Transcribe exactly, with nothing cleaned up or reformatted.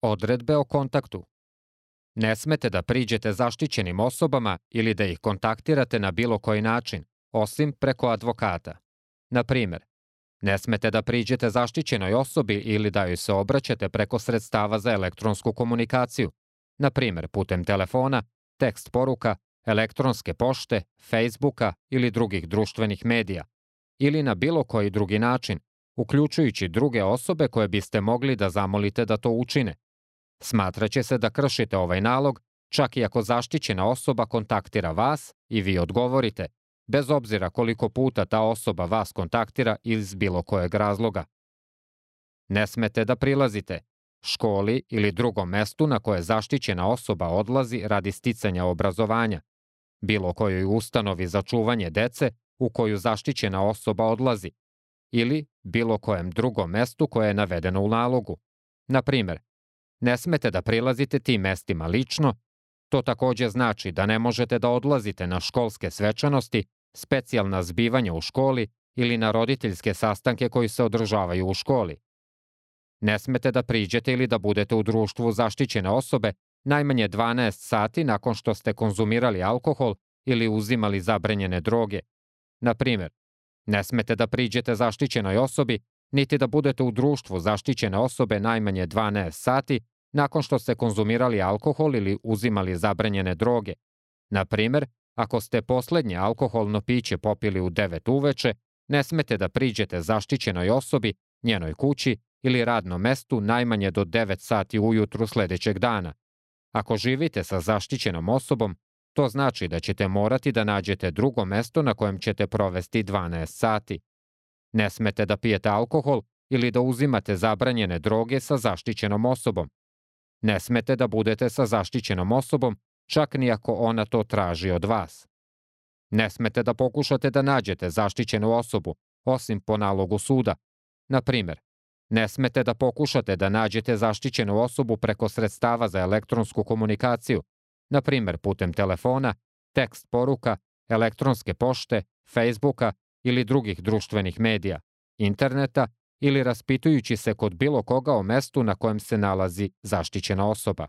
Odredbe o kontaktu. Ne smete da priđete zaštićenim osobama ili da ih kontaktirate na bilo koji način, osim preko advokata. Na primer, ne smete da priđete zaštićenoj osobi ili da joj se obraćate preko sredstava za elektronsku komunikaciju, na primer putem telefona, tekst poruka, elektronske pošte, Facebooka ili drugih društvenih medija, ili na bilo koji drugi način, uključujući druge osobe koje biste mogli da zamolite da to učine. Smatraće se da kršite ovaj nalog, čak i ako zaštićena osoba kontaktira vas i vi odgovorite, bez obzira koliko puta ta osoba vas kontaktira iz bilo kojeg razloga. Ne smete da prilazite školi ili drugom mestu na koje zaštićena osoba odlazi radi sticanja obrazovanja, bilo kojoj ustanovi za čuvanje dece u koju zaštićena osoba odlazi, ili bilo kojem drugom mestu koje je navedeno u nalogu. Na primer, ne smete da prilazite tim mestima lično, to takođe znači da ne možete da odlazite na školske svečanosti, specijalna zbivanja u školi ili na roditeljske sastanke koji se održavaju u školi. Ne smete da priđete ili da budete u društvu zaštićene osobe najmanje dvanaest sati nakon što ste konzumirali alkohol ili uzimali zabranjene droge. Na primer, ne smete da priđete zaštićenoj osobi niti da budete u društvu zaštićene osobe najmanje dvanaest sati nakon što ste konzumirali alkohol ili uzimali zabranjene droge. Na primer, ako ste poslednje alkoholno piće popili u devet uveče, ne smete da priđete zaštićenoj osobi, njenoj kući ili radnom mestu najmanje do devet sati ujutru sledećeg dana. Ako živite sa zaštićenom osobom, to znači da ćete morati da nađete drugo mesto na kojem ćete provesti dvanaest sati. Ne smete da pijete alkohol ili da uzimate zabranjene droge sa zaštićenom osobom. Ne smete da budete sa zaštićenom osobom, čak ni ako ona to traži od vas. Ne smete da pokušate da nađete zaštićenu osobu, osim po nalogu suda. Na primer, ne smete da pokušate da nađete zaštićenu osobu preko sredstava za elektronsku komunikaciju, na primer putem telefona, tekst poruka, elektronske pošte, Facebooka ili drugih društvenih medija, interneta ili raspitujući se kod bilo koga o mestu na kojem se nalazi zaštićena osoba.